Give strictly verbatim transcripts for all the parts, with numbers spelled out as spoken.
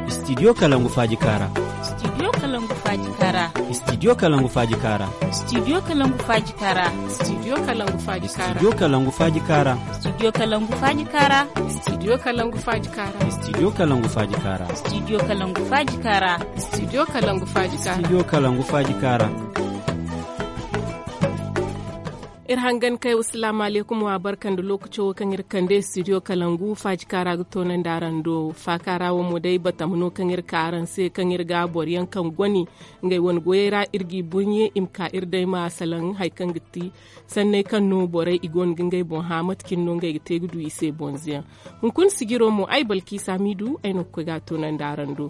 Studio Kalangu Faaji Kaara. Studio Kalangu Faaji Kaara. Studio Kalangu Faaji Kaara. Studio Kalangu Faaji Kaara. Studio Kalangu Faaji Kaara. Studio Kalangu Faaji Kaara. Studio Kalangu Faaji Kaara. Studio Kalangu Faaji Kaara. Studio Kalangu Faaji Kaara. Studio Kalangu Faaji Kaara. Studio Kalangu Faaji Kaara. Studio Kalangu Faaji Kaara. Iri hangan kay, wasalaamu aleykum, wa barka nda lookaco wo kaŋ iri kande studio Kalangu Faaji Kaara ga toonandi araŋ do. Faakaara wo mo day batama no kaŋ iri ka araŋ se, kaŋ iri ga boro yaŋ kaŋ goni ngey wane goyey ra, iri g'i burɲe i ma ka iri day ma salaŋ hari kaŋ ga ti sanney kaŋ no borey i goono ga ngey boŋ hã, mate cine no ngey ga te ga du i se bonzoyaŋ. Hunkuna sijiro mo, ay Balkiisa Miidu, ay no ga koy ga a toonandi araŋ do.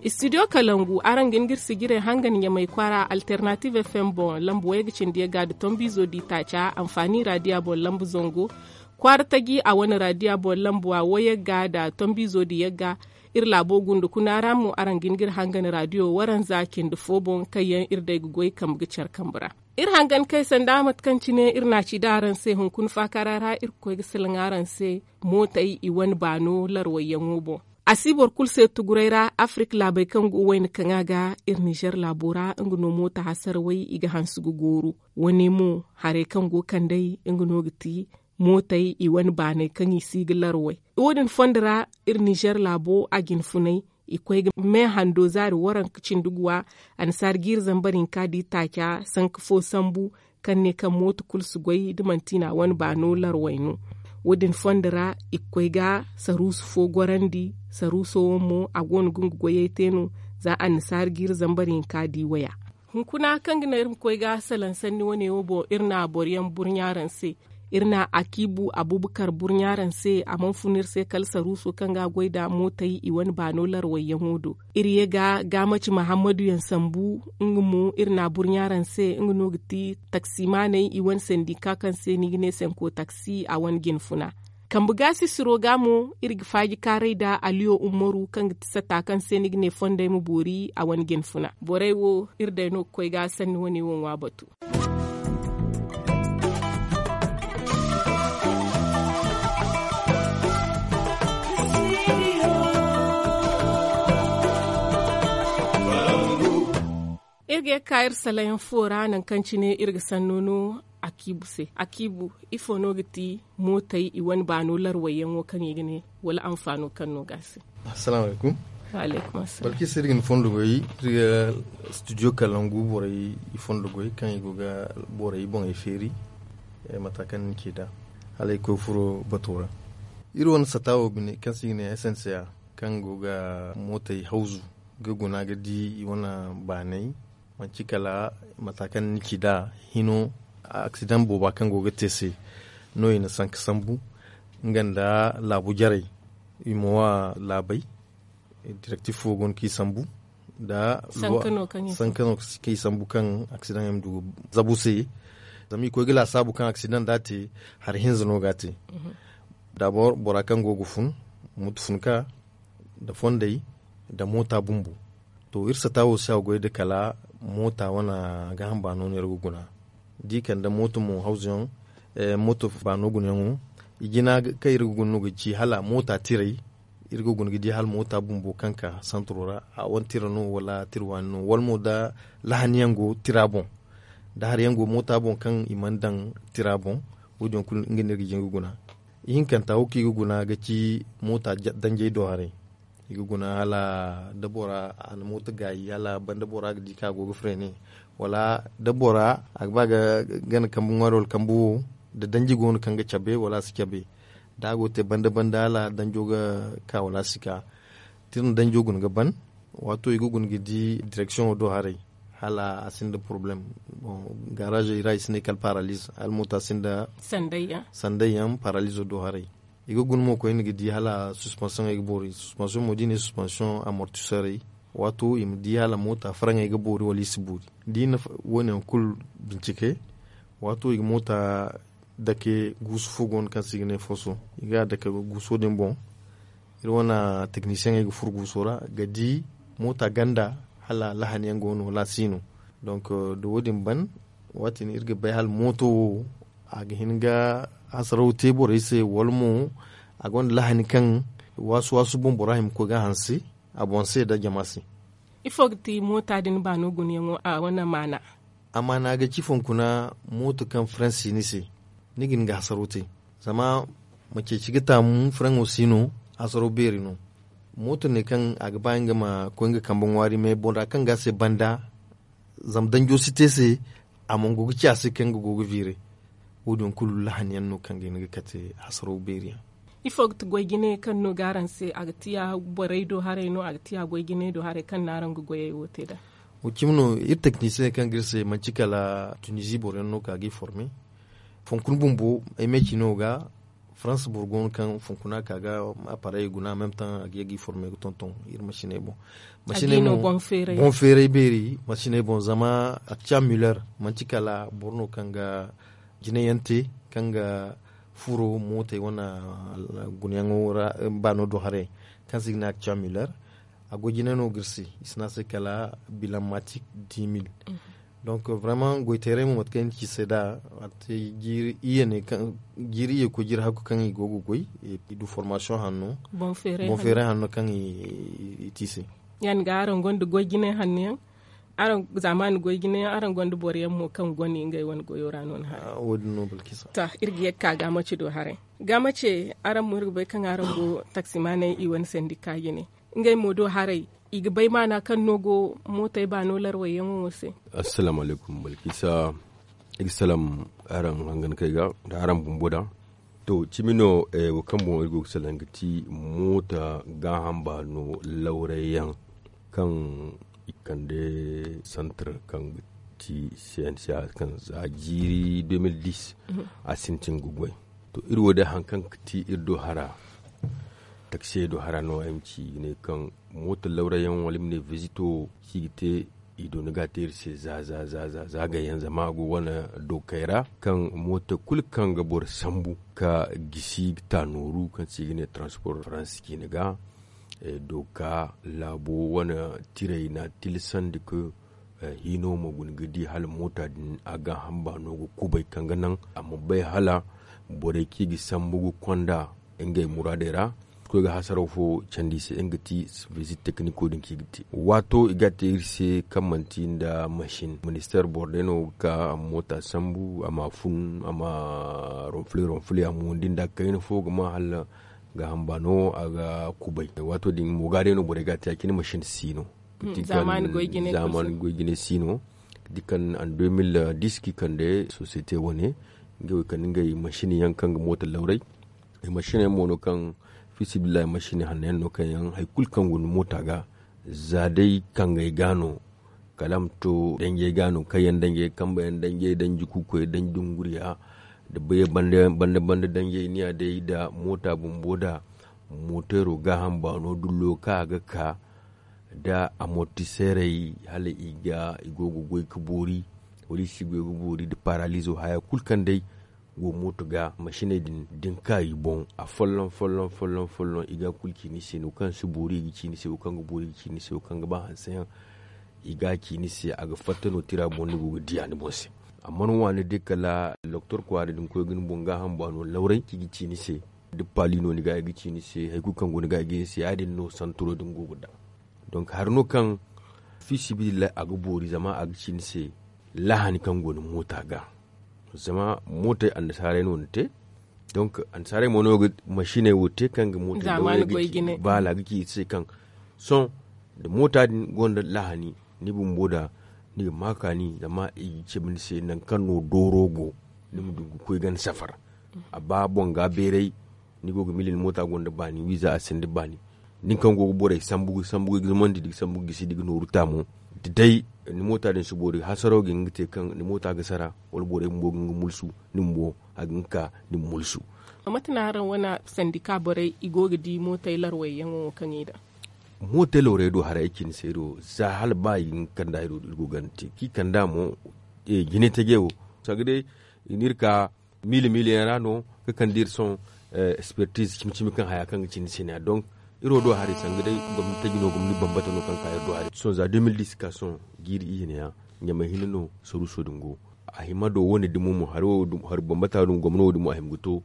Studio Kalangu, araŋ ga hin ga iri sijirey hangan Ɲamay kwaara Alternative F M boŋ, lamba wayga cindi yagga nda tombiizo di taaca, Anfaani raadiya boŋ lamba zango, kwaara taji a wane raadiya boŋ lamba wayagga nda tombiizo di yagga. Iri laabo gunda kuna ra mo, araŋ ga hin ga iri hangan raadiyo waranza cindi fo boŋ, kaŋ yaŋ iri day ga goy kambe ga care kambe ra. Iri hangan kay sanda mate kaŋ cine iri n'a ci da araŋ se hunkuna faakaara ra, iri ga koy ga salaŋ araŋ se mootey i wane baano larwayyaŋo boŋ. A si boro kulu se tuguray ra, Afirik laabey kaŋ go wayna kaŋa ga, iri Nizer laabo ra, nga no moota hasarawey i ga hanse ga gooru. Wane mo, harey kaŋ go kand'ey, nga no ga ti mootey i wane baaney kaŋ i si ga larway. Wo-din fondo ra, iri Nizer laabo a jinfunay, i koy ga me hando zaari waranka cindi guwa, annasaara jiiri zambar hinka di taaca, sanka fo sambu, kaŋ ne kaŋ mooto kulu si goy da manti na wane baano larway no. Wo-din fondo ra, i ga koy ga saruusu fo gorandi. Saruuso wo mo, a go no ga nga goyey te no, za annasaara jiiri zambar hinka di waya. Hunkuna kaŋ ga naŋ iri ma koy ga salaŋ sanni wane wo boŋ, iri na boro yaŋ burɲa araŋ se. Iri na Akiibu Abubakar burɲa araŋ se, a mana fun iri se kala saruuso kaŋ ga a goy nda mootey i wane baano larwayyaŋo do. Iri ye ga Gaamaci Mahammadu yaŋ sambu, nga mo iri na burɲa araŋ se, nga no ga ti taksimaaney i wane sandika kaŋ se ni ga ne sanko taksi a wane jinfuna. Kambe gaasisiro ga mo, iri ga faaji kaaray nda Aliyo Ummaru, kaŋ ga ti sata kaŋ se ni ga ne fondey ma boori a wane jinfuna. Borey wo, iri day no ga koy ga sanni wane wo ŋwa batu. Iri ga ye ga ka iri salayaŋ fo ra, nangu kaŋ cine iri ga sanno no Akiibu se. Akiibu, ifo no ga ti mootey i wane baano larwayyaŋo kaŋ i ga ne, wala anfaano kaŋ no ga a se? Assalaamu alaykum. Wa alaykum assalam. Balkis, iri ga ni fondo goy, iri ga studio Kalangu borey i fondo goy, kaŋ i go ga borey boŋey feeri, eh, mata kaŋ ni ci nd'a, hala ay koy furo bato ra. Iri wane sata wo bine, kaŋ se i ga ne S N C A, kaŋ go ga mootey hawzu, ga guna ga di i wane baaney, manti kala mata kaŋ ni ci nd'a hino, aksidaŋ booba kaŋ go ga te se no i na sanka sambu, nga nda laabu jarey, i ma wa laabey, direktif fo go no kaŋ i sambu, nda sanka no kaŋ i sambu kaŋ aksidaŋ yaŋ ma du ga zabu se. Zama i koy ga laasaabu kaŋ aksidaŋ da a te, hari hinza no ga a te. Dabor bora kaŋ go ga fun, moto funka, nda fondey, nda moota bumbo. To, iri sata wo si a goy nda kala moota wane gaaham baano no iri ga guna. Da i kande moota mo hawzuyaŋ, eh, moota baano gunayaŋo, i jina kaŋ iri ga guna no ga ci hala moota tirey, iri ga guna ga di hala moota bumbo kaŋ ka santiro ra, a wane tira no wala tira waani no, wala mo da lahaniyaŋ go tira boŋ, da hariyaŋ go moota boŋ kaŋ i mana daŋ tira boŋ, wo-din kulu nga no iri ga jin ga guna. Ihinkanta wo kaŋ i ga guna ga ci moota ja-, danjey do haray. I ga guna hala da bora a na moota gaayi, hala banda bora ga di kaŋ a go ga freine, wala da bora a ga ba ga gana kambe ŋwaari wala kambe wo, da danji go no kaŋ ga cabe wala a si cabe. Da a go ga te banda-banda hala danjo ga ka wala a si ka. Tira danjo guna ga ban, waato i ga guna ga di direksiyoŋo do haray, hala a sinda poroblem. Bon, garaazey ra i si ne kala paraliz, hala moota sinda sandayyaŋ, paralizo do haray. I ga guna mo koyne ga di hala suspansiyoŋey ga boori, suspansiyoŋ mo da i ne suspansiyoŋ amortiserey, waato i ma di hala moota faraŋey ga boori wala i si boori. Da i na woone yaŋ kulu bincike, waato i ga moota dake guusu fo go no kaŋ se i ga ne foso. I ga a dake guuso din boŋ. Iri wane teknisiyeŋey ga furo guuso ra ga di moota ganda hala lahaniyaŋ go no wala a si no. Donk, da wo-din ban, waati din iri ga bay hala mooto wo, a ga hin ga hasaraw te borey se, wala mo a gonda lahani kaŋ Waasu waasu boŋ bora hima ga koy ga hanse a boŋ se nda jama se. Ifo ga ti moota din baano gunayaŋo a wane maana? A maana ga ci fonkuna mooto kaŋ faransi ni se, ni ga ni ga hasaro te. Zama ma ceeci ga taamu faraŋo si no. Hasaro beeri no. Mooto ne kaŋ a ga ba nga ma koy nga kambe ŋwaari me bora kaŋ ga a se banda. Zama danjo si te se. A mana go ga ci a se kaŋ ga go ga viire. Wo- din kulu lahani yaŋ no kaŋ ga hin ga kate hasaro beeri yaŋ. Ifo ga ti goy jine kaŋ no ga araŋ se a ga ti ya borey do haray no a ga ti ya goy jine do haray kaŋ no araŋ ga goyey wo te nd'a? Wo cimi no iri teknisiyeŋ kaŋ ga iri se manti kala tunizi boro yaŋ no ka ga i forme. Fonkuna bumbo ay me ci no ga faransa boro go no kaŋ fonkuna ka ga aparey guna meme taŋ a ga ye ga i forme ga tonton iri masiney boŋ. Masiney boŋ feeray beeri masiney boŋ zama akca miller manti kala boro no kaŋ ga jinayaŋ te kaŋ ga furo mootey wane gunayaŋo ra. Baano do haray kaŋ se i ga ne akca miller a go jine no ga iri se. I si ne a se kala bilanmatik dix mille. Donc vraiment goyteeray mo mate kaŋ ay na ci se nd'a a te jiiri iyye ne kaŋ jiiri iyye koy jiiri hakku kaŋ i go ga goy. I du formasiyoŋ hanno boŋ feeray hanno kaŋ i te i se. Yaŋ ga araŋ gonda goy jine hanno yaŋ. Araŋ zaamaani goy jine yaŋ araŋ gonda boro yaŋ mo kaŋ gone ngey wane goyo ra no ni haray? Wo- din no balkisa. To iri ga ye ga ka gaamace do haray. Gaamace araŋ mo iri ga bay kaŋ araŋ go taksimaaney i wane sandika jine. Ngey mo do haray i ga bay maana kaŋ no go mootey baano larwayyaŋo wo se? Assalaamu alaykum balkisa. Iri ga salaŋ araŋ hangankey ga nda araŋ bumbo da. To cimi no wo kaŋ boŋ iri go ga salaŋ ga ti moota gaaham baano lawrayyaŋ kaŋ i kande santar kaŋ ga ti cnca kaŋ za jiiri deux mille dix a sintin ga goy. To iri wo day hari kaŋ ga ti iri do hara taksiyey do hara no ay ma ci i ga ne kaŋ moota lawrayyaŋ wala ay ma ne vizito kaŋ i ga te i do ni ga a te iri se za za za za za gayyaŋ zama a go wane dokey ra kaŋ moota kulu kaŋ ga boro sambu ka gisi ga ta nooru kaŋ se i ga ne transport faransi ciine ga. Doka laabo wane tirey na tilasandi ka hino ma guna ga di hala moota din a ga hamba no ga kubay kaŋ ga naŋ a ma bay hala borey kaŋ i ga sambu ga konda ngey muraadey ra. Koy ga hasaraw fo candi i se nga ga ti visit tekniko din kaŋ i ga te waato i ga a te iri se kaŋ manti nda masin ministeer boro day no ga ka a ma moota sambu a ma a fun a ma ronfule ronfule a ma windi nda kayna fo ga ma hala ga hamba no a ga kubay waato din mo ga day no borey ga a te a cine masin si no. Zaamaani goy jine si no ga di kaŋ an deux mille dix kaŋ i kande sosiyete wane ngey wo i kande ngey masin yaŋ kaŋ ga moota lawray. Ay masiney mo no kaŋ fiisabilillahi masiney hanno yaŋ no kaŋ yaŋ hari kulu kaŋ go ni moota ga za day kangey ga no kala a ma to danjey ga no kaŋ yaŋ danjey kambe yaŋ danjey danji kuukoy danji dunguriya nda bayey banda banda danjey ni ya day nda moota bumbo nda mooteero gaaham baano dullo kaŋ a ga ka nda amortiseerey hala i ga i go ga goy ga boori wala i si goy ga boori nda paralizo haya kulu kaŋ day go mooto ga masiney din da ni ka i boŋ afolloŋ folloŋ folloŋ folloŋ i ga a kulu ci ni se no kaŋ si boori i ga ci ni se wo kaŋ ga boori i ga ci ni se wo kaŋ ga ba hanse yaŋ i ga a ci ni se a ga fatta no tira boŋ ni go ga di a ni boŋ se. Amma ni waani day kala doktor kwaara din koy ga ni boŋ gaaham baano lawray kaŋ i ga ci ni se da paali no ni ga i ga ci ni se hari kulu kaŋ go ni ga i ga ni se ya- din no santuro din go ga da. Donk hari no kaŋ fiisabilillahi a ga boori zama a ga ci ni se lahani kaŋ go ni moota ga. Zama mootey annasaarey no ni te donk annasaarey mo no ga masiney wo te kaŋ ga mootey baala ga ci iri se kaŋ sohõ da moota din gonda lahani ni bumbo da ni ga ma kaani zama i ga cabe ni se nangu kaŋ no dooro go ni ma du ga koy ganda safar a ba boŋ ga beeray ni go ga mili ni moota gonda baani wiiza a sinda baani nin kaŋ go ga borey sambu ga sambu ga zumandi da ga sambu ga gisi da ga nooru taamo da day ni moota din si boori hasaro ga hin ga te kaŋ ni moota ga sara wala borey bumbo ga hin ga mulsu ni bumbo a ga hin ga ka ni ma mulsu. Mate no araŋ wane sandika borey i go ga di mootey larwayyaŋo wo kaŋ i daŋ? Mootey lawrey do haray ay cine se ay do za hala ba i ga hin ga kanda ay do iri go ganda te kaŋ i kanda mo jine taje wo sanga day i n'iri ka miila miila yaŋ ra no ga kande iri sohõ. Espertiz cimi cimi kaŋ haya kaŋ ga cindi se ne ya donk iri wo do haray sanga day gomni taji no gomni bambata no kaŋ ga ka iri do haray sohõ za deux mille dix ka sohõ jiiri iyye ne ya ɲamay hinne no saruuso din go. A hima do wane dumo mo hari bambata din gomno wo dumo a hima ga to.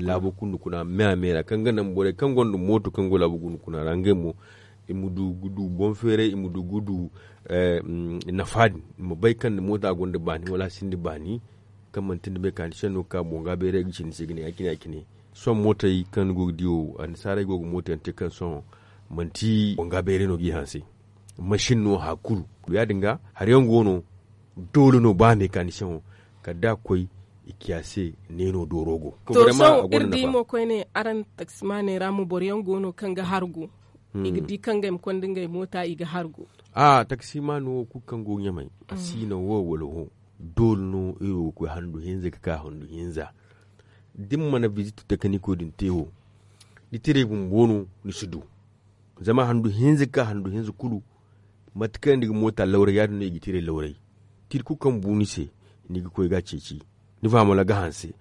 laabo gundu kuna me a me ra kaŋ ga naŋ borey kaŋ gonda mooto kaŋ go laabo gundu kuna ra ngey mo i ma du ga du boŋ feeray i ma du ga du nafa din i ma bay kaŋ ni moota gonda baani wala a sinda baani kaŋ manti ni mekanisiyaŋ no ga ka boŋ ga bayray ga ci ni se ga ne ya- cine ya- cine sohõ mootey kaŋ ni go ga di wo annasaarey go ga mooto yaŋ te kaŋ sohõ manti boŋ ga bayray no ga i hanse masin no hari kulu ya- din ga hari yaŋ go no doole no ba mekanisiyaŋo kala da a koy i ci a se neeno dooro go. To sohõ iri di mo koyne araŋ taksimaaney ra mo boro yaŋ go no kaŋ ga hargu i ga di kaŋ ga ay ma konda ngey moota i ga hargu. A taksimaano wo kulu kaŋ go ɲamay a si no wo wala wo doole no iri wo ga koy handu hinza ga ka handu hinza da ni mana bizit tekiniko din te wo ni tiray bumbo no ni si du. Zama handu hinza ga ka handu hinza kulu mate kaŋ ni ga moota lawray ya- din no i ga tiray lawray tira kulu kaŋ bu ni se ni ga koy ga a ceeci ni fahamala ga hanse.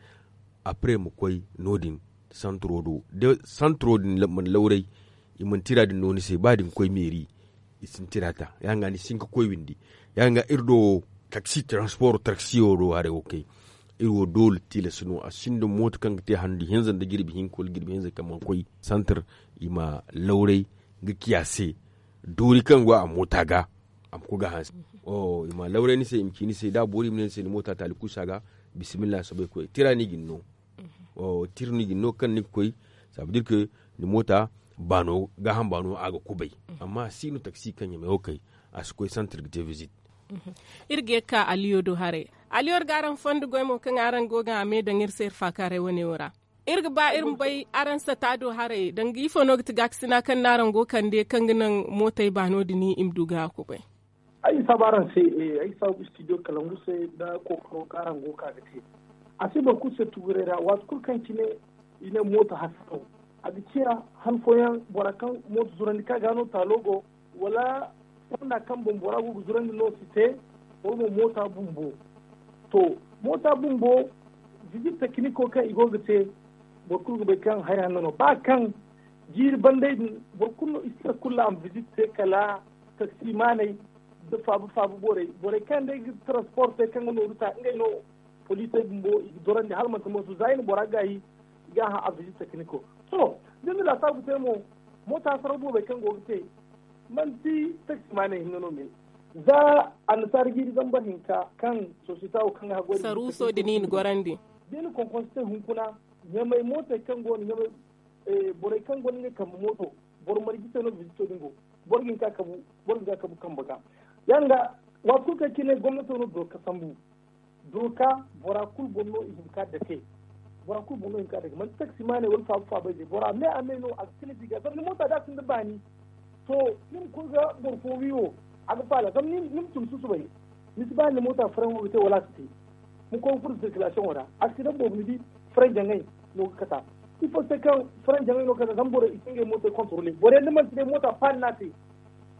Après ma koy no- din santiro do da santiro din mana lawray i mana tira din no ni se ba da ni koy meeri i si ni tira ta ya- din ga ni si hin ga koy windi ya- din ga iri do wo taksi transporo taksiyo do haray wo kay iri wo doole tilas no a sinda mooto kaŋ ga te handu hinza nda jirbi hinka wala jirbi hinza kaŋ mana koy santir i ma lawray ga ci a se doori kaŋ go a moota ga a ma koy ga hanse. I ma lawray ni se i ma ci ni se da boori i ma ne ni se ni moota taali kuusa ga bisimilla soobay koy tira no i ga ni no tira no i ga ni no kaŋ ni ga koy sabadir ke ni moota baano gaaham baano a ga kubay amma a si no taksi kaŋ ɲamay wo kay a si koy santir ga te bizit. Iri ga ye ga ka aliyo do haray aliyo iri ga araŋ fondo goy mo kaŋ araŋ go ga a me daŋ iri se iri faakaaray wane wo ra. Iri ga ba iri ma bay araŋ sata do haray danga ifo no ga ti gaakasina kaŋ no araŋ go kande kaŋ ga naŋ mootey baano din i ma du ga a kubay. Ay ga saabu araŋ se ay ga saabu studio kalangu se nda kookaro kaŋ araŋ go ga ka ga te. A si boro kulu se tuguray ra waati kulu kaŋ cine i ne mooto hasaraw a ga ciya han fooyaŋ bora kaŋ mooto zurandi kaŋ a ga no taalo go wala fonda kaŋ boŋ bora go ga zurandi no si te wala mo moota bumbo. To moota bumbo vizit tekiniko kaŋ i go ga te boro kulu ga bay kaŋ hari hanno no ba kaŋ jiiri banday din boro kulu no i si tira kulu a ma vizit te kala taksimaaney da faabu faabu borey borey kaŋ day ga transport te kaŋ ga nooru ta ngey no poliisey bumbo i ga dorandi hala manti mooso za i na bora gaayi i ga a hã a vizit tekiniko. To da ni laasaabu te mo moota saraw boobey kaŋ go ga te manti taksimaaney hinne no me za annasaara jiiri zambar hinka kaŋ sosiyete wo kaŋ ga haggoy saruuso din i na gorandi da i na konkonse te hunkuna ɲamay mootey kaŋ go no ɲamay borey kaŋ gonda ngey kambe mooto boro marje se no vizito din go boro ga hin ka kabu boro ga hin ka kabu kambe ga ya- din ga waati kulu kaŋ cine gomnato no dooka sambu dooka bora kulu boŋ no i hin ka dake bora kulu boŋ no i hin ka dake manti taksimaaney wala faabu faabay day bora me a me no a ga kala di ga zama ni moota da a sinda baani to ni ma koy ga boro fo wi wo a ga faala zama ni ma tun susubay ni si ba ni moota faraŋ wo ga te wala a si te ma koy ga furo sirkilasiyoŋo ra aksidaŋ boobo ni di faraŋ jaŋay no ga kata ifo se kaŋ faraŋ jaŋay no ga kata zama borey i si ngey mootey kontorole borey da manti day moota paani no a te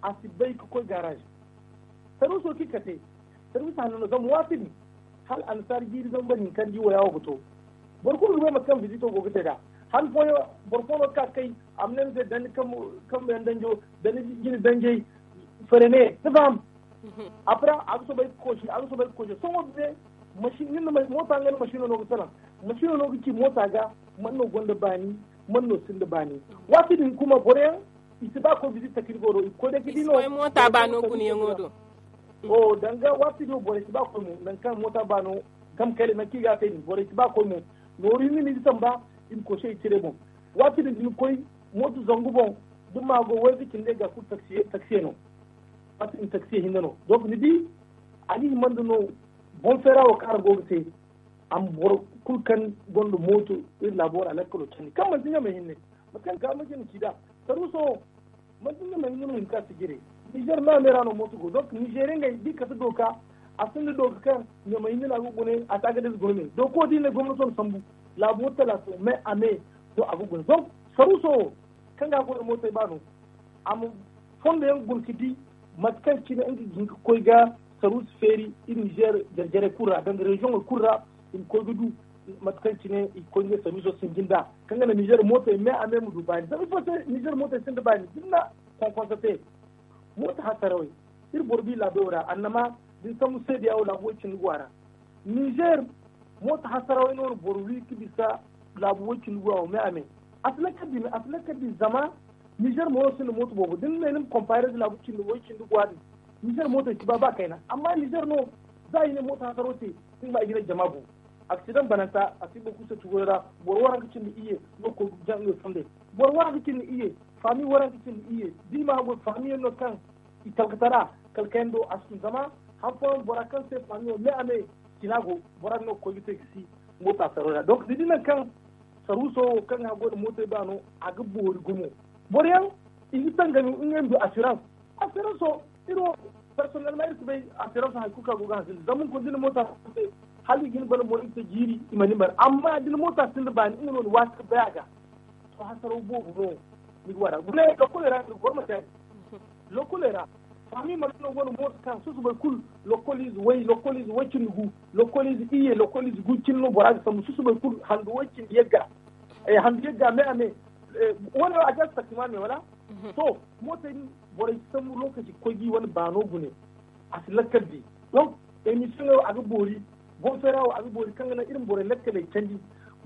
a si bay ga koy gaaraaz sarwiiso kaŋ i kate sarwiiso hanno no zama waati din hala annasaara jiiri zama boro hinka nda i waya wo ga to boro kulu ga bay mate kaŋ vizito go ga te nd'a han fooyaŋ boro fo no ga ka ga kay a ma ne ni se danji kambe yaŋ danjo danji jine danjey fere ne ni faham après a ga soobay ga koosi a ga soobay ga koosi sohõ binde moota nga nda masiino no ga salaŋ masiino no ga ci moota ga man no gonda baani man no sinda baani waati din kuma boroyaŋ i si ba koy bizit takirgo do i ga koy day ga di no moota baano gunayaŋo do o danga waati din borey si ba koy mo nangu kaŋ moota baano gam kayla nangu kaŋ i ga a te din borey si ba koy mo nooru hinne no i ga samba i ma koy se i cire boŋ waati din da ni koy mooto zangu boŋ da maago wayze cindi ga kulu taksiye no waati din taksiye hinne no donc ni di a ga hima nda no boŋ feera wo kaŋ araŋ go ga te a ma boro kulu kaŋ gonda mooto iri laabo ra lakkalo candi kaŋ manti ɲamay hinne mate kaŋ ga ma jina ci nd'a saruuso wo manti ɲamay hinne no hinka si jire nizer no a me ra no mooto go donc nizer ngey da i kate dooka a sinda dooka kaŋ ɲamay hinne no a ga gune a si a ga da ize guna me dooka wo da i ne gomnato na sambu laabo talaata me a me no a ga gune donc saruuso wo kaŋ ga a go iri mootey baano a ma fondo yaŋ guna ga di mate kaŋ cine nga ga hin ga koy ga saruusu feeri iri nizer jare-jarey kulu ra danga reziyoŋey kulu ra i ma koy ga du mate kaŋ cine i ga koy ngey saruuso sinji nd'a kaŋ ga naŋ nizer mootey me a me ma du baani zama ifo se nizer mootey sinda baani da ni na konkonse te mooto hasarawey iri boro bi laabo ra annama da ni sambu seediya wo laabo way cindi go a ra nizer Mooto hasarawey no boro wi ka bisa laabu way cindi guwa wo me a me. A si lakkal di me a si lakkal di zama nizer mo no sinda mooto boobo da ni ne ni ma konpaare nda laabu cindi way cindi guwa din. Nizer mootey si ba ba kayna amma nizer no za i ne mooto hasaro te. Ni ga ba i ga ne jama bu aksidaŋ bananta a si boro kulu se tugoyo ra. Boro waranka cindi iyye no koy ga jaŋ nga fondey. Boro waranka cindi iyye faami waranka cindi iyye da i ma haggoy faamiyaŋ no kaŋ i talkatara kala kayando a si tun zama han fooyaŋ bora kaŋ se faamiyaŋ me a me cina go. Bora din no ga koy ga te ga si mooto hasaro ra donk ni di nangu kaŋ saruuso wo kaŋ ga haggoy nda mootey baano a ga boori gumo. Boro yaŋ i ga tangami ngey ma du assurance. Assurance wo iri wo personnellement iri si bay. Assurance hari kulu kaŋ a go ga hanse nda zama hunkuna da ni moota se hala i ga ni bana mo iri te jiiri i ma ni mara amma da ni moota sinda baani nga no ni waati ga bay a ga. To hasaraw boobo no ni ga waara guna lokkoley ra ni ga goro ma te. Lokkoley ra faami mara no go no mooto kaŋ susubay kulu lokkoliize way lokkoliize way cindi gu lokkoliize iyye lokkoliize gu cindi no bora ga sambu susubay kulu handu way cindi yagga. Handu yagga me a me wane a ga si takima me wala? To mootey din borey si sambu lookaci ga koy ga i wane baano gune. A si lakkal di donc emisiyoŋey wo a ga boori. Boŋ feera wo a ga boori kaŋ ga naŋ iri ma borey lakkaley candi.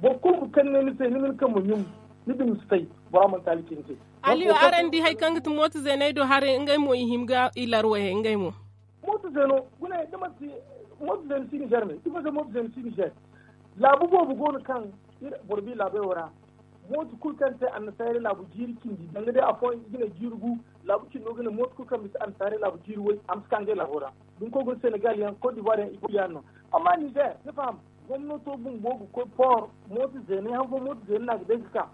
Boro kulu ma kaŋ ne ni se ni ma ni kambe ɲum ni dumi si fay. Bora mana taali ci ni se. Aliyo araŋ di hari kaŋ ga ti mooto zeeney do haray ngey mo i hima ga i larwayey ngey mo. Mooto zeeno gune da manti mooto zeeno si nizer me ifo se mooto zeeno si nizer. Laabu boobo go no kaŋ boro bi laabey wo ra. Mooto kulu kaŋ te annasaarey laabu jiiri cindi danga day afooyaŋ i ga ne jiiri gu. Laabu cindo ga ne mooto kulu kaŋ bisa annasaarey laabu jiiri way a ma si ka ngey laabo ra. Dunko ga ne senegal yaŋ kot divoire yaŋ i kulu yaŋ no. Amma nizer ni faham gomnato bumbo ga koy poor mooto zeeney han fo mooto zeeney no a ga day ga ka.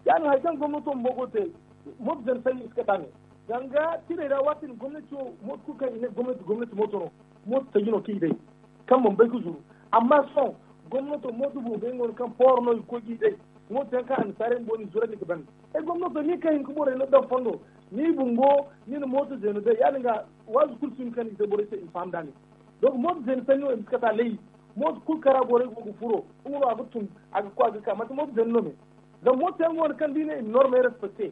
Ya- din hari kaŋ gomnato bumbo go ga te mooto zeeney sanni i si kate a ne. Danga tirey ra waati din gomnati wo mooto kulu kaŋ i ne gomnati gomnati mooto no. Mooto taji no kaŋ i day kaŋ mana bay ga zuru. Amma sohõ gomnato mooto bumbo yaŋ go no kaŋ pooro no i ga koy ga i day. Mooto yaŋ kaŋ annasaarey bumbo no i zurandi ga ban. Ay gomnato ni kaŋ hin ga borey no daŋ fondo ni bumbo ni na mooto zeeno day ya- din ga waazu kulu si hin kaŋ ni ga te borey se i ma faham da a ne. Donk mooto zeeno sanni wo i ma si kate a lay. Mooto kulu kaŋ ra borey go ga furo nga no a ga tun a ga koy a ga ka manti mooto zeeno no me. Zama mooto yaŋ go no kaŋ da i ne i ma normey respekte.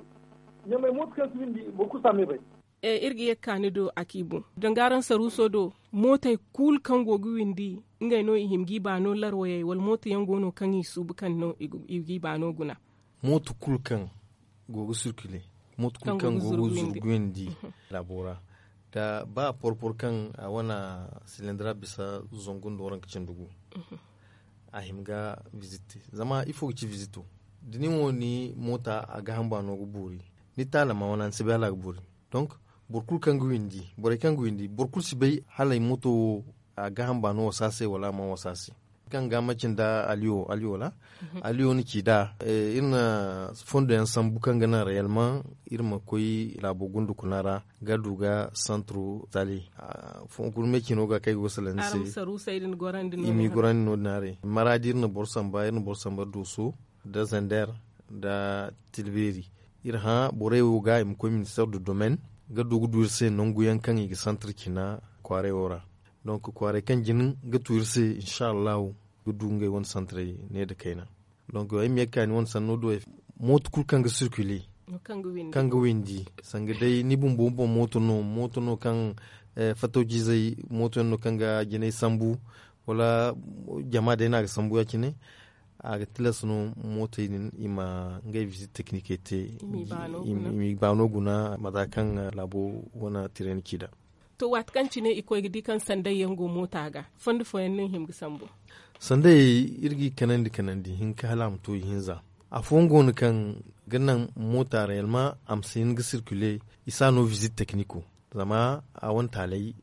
Ɲamey mooto kaŋ si windi boro kulu si a me bay. Iri ga ye ga ka ni do a ci boŋ danga araŋ saruuso do mootey kulu kaŋ go ga windi ngey no i hima ga i baano larwayey wala mooto yaŋ go no kaŋ i suubu kaŋ no i ga i baano guna. Mooto kulu kaŋ go ga sirkile mooto kulu kaŋ go ga zurguyandi laabo ra da ba a porpor kaŋ a wane silindira bisa zangu nda waranka cindi gu. A hima ga vizit te zama ifo ga ci vizito da nin wo ni moota a gaaham baano ga boori ni taala ma wane ni si bay hala a ga boori. Donk boro kulu kaŋ ga windi borey kaŋ ga windi boro kulu si bay hala ay mooto wo a gaaham baano wasa se wala a mana wasa se. Kaŋ ga macin da aliyo aliyo ra aliyo ni ci da iri na fondo yaŋ sambu kaŋ ga naŋ reyelman iri ma koy laabo gundukuna ra ga du ga santro tali. Fonkul me cino ga kaŋ ay ga wasalandi se i m'i gorandi no- din haray maraadi iri na boro samba iri na boro samba dooso nda zander nda tilbeeri. Iri hã borey wo ga i ma koy minister de domaine ga du ga du iri se nangu yaŋ kaŋ i ga santar cina kwaaray wo ra. Donk kwaaray kaŋ jin ga tu iri se insa allahu ga du ngey wane santaray ne nda kayna. Donk ay ma ye ga ka ni wane sanno do mooto kulu kaŋ ga sirkile kaŋ ga windi sanga day ni bumbo boŋ mooto no mooto no kaŋ fatawjizey mooto yaŋ no kaŋ ga jinay sambu wala jama day no a ga sambu ya- cine. A ga tilas no mootey din i ma ngey vizit teknikey te i m'i baano guna mata kaŋ laabo wane tirayni ci nd'a. To waati kaŋ cine i koy ga di kaŋ sanday yaŋ go moota ga fondo fooyaŋ no i hima ga sambu. Sanday iri g'i kanandi kanandi hinka hala a ma to ihinza. Afooyaŋ go no kaŋ ga naŋ moota reyelma a ma si hin ga sirkile i si a no vizit tekniko. Zama a wane taaley